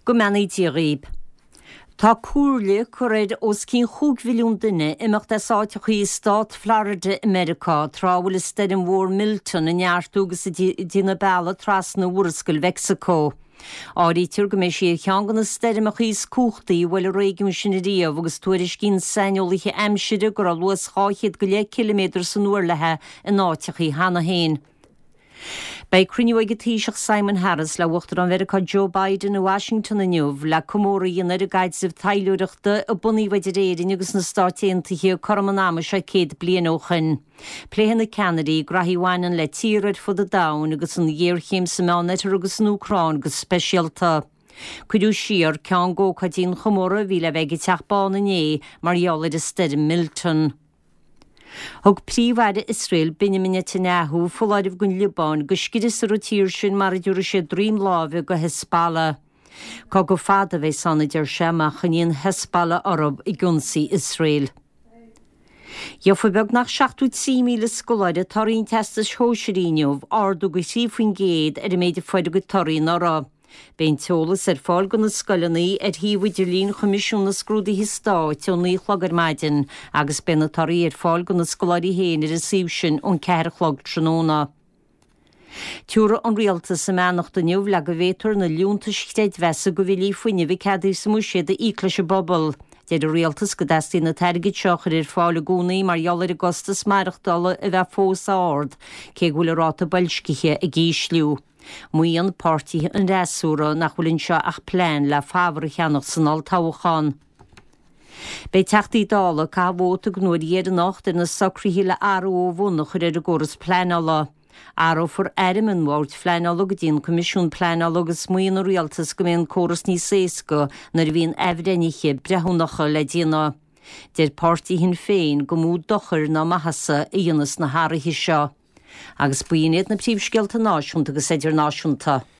Go mbeannaí Dia dhaoib. Tá comhairle curtha ar os cionn chúig mhilliún duine imeacht as áiteachaí i stát Florida i Meiriceá tráth a bhfuil an stoirm mhór Milton ag neartú agus ag déanamh bealaigh trasna Mhurascaill Mheicsiceo. Áirítear go mbeidh sí ar cheann de na stoirmeachaí is cumhachtaí a bhuail an réigiún sin ariamh agus tuairiscíonn saineolaithe aimsire go raibh luas 200 go leith ciliméadar san uair léi in áiteachaí cheana féin. Beidh cruinniú ag an Taoiseach Simon Harris le Uachtarán Mheiriceá Joe Biden i Washington inniu le comóradh a dhéanamh ar an gcaidreamh taidhleoireachta a bunaíodh idir Éirinn agus na Stáit Aontaithe cothrom an ama seo 100 bliain ó shoin. Pléifidh na ceannairí graithí a bhaineann le tíortha ar fud an domhain agus an ghéarchéim sa Meánoirthear agus san Úcráin go speisialta. Cuireadh siar ceann d'ócáidí an chomóradh a bhí le bheith ag an Teach Bán inné mar gheall ar an stoirm Milton. Thug Príomh-Aire Iosrael Benjamin Netanyahu foláireamh don Liobáin go scriosfar an tír sin mara dtabharfaidh siad droim láimhe do Hezbollah. Cogadh fada a bheas ann, a deir sé, má choinníonn Hezbollah orthu ag ionsaí Iosrael. Gheofa beagnach 73,000 scoláire torthaí an Teastais Shóisearaigh inniu, ardú de 3% ar an méid a fuair a gcuid torthaí anuraidh. Beidh an t-eolas ar fáil do na scoileanna ar shuíomh idirlín Choimisiún na Scrúduithe Stáit ón 9 a chlog ar maidin agus beidh na torthaí ar fáil do na scoláirí féin ar an suíomh sin ón 4 a chlog tráthnóna. Tiúrfaidh an Rialtas a mbeannacht inniu le go bhféadfar na liúntais chreidmheasa do bhillí fuinnimh a ceadaíodh sa mBuiséad a íoc leis an bpobal. Deir an Rialtas go dteastaíonn an t-airgead seo a chur ar fáil i gcónaí mar gheall ar an gcostas maireachtála a bheith fós ard, cé go bhfuil an ráta boilscithe ag ísliú. Maíonn páirtithe an fhreasúra nach bhfuil anseo ach plean le fabhar a cheannach san olltoghchán. Beidh Teachtaí Dála ag caitheamh vóta den uair dheireanach ar na socruithe le athrú ó bhun a chur ar an gcóras pleanála. Athrófar airm an Bhoird Phleanála go dtí an Coimisiún Pleanála agus maíonn an Rialtas go mbeidh an córas níos éasca nuair a bhíonn athbhreithnithe breithiúnacha le déanamh. Deir páirtí Shinn Féin gur mó dochair ná maitheasa a dhéanfas na hathruithe seo. Agus b'in iad na príomhscéalta náisiúnta agus idirnáisiúnta.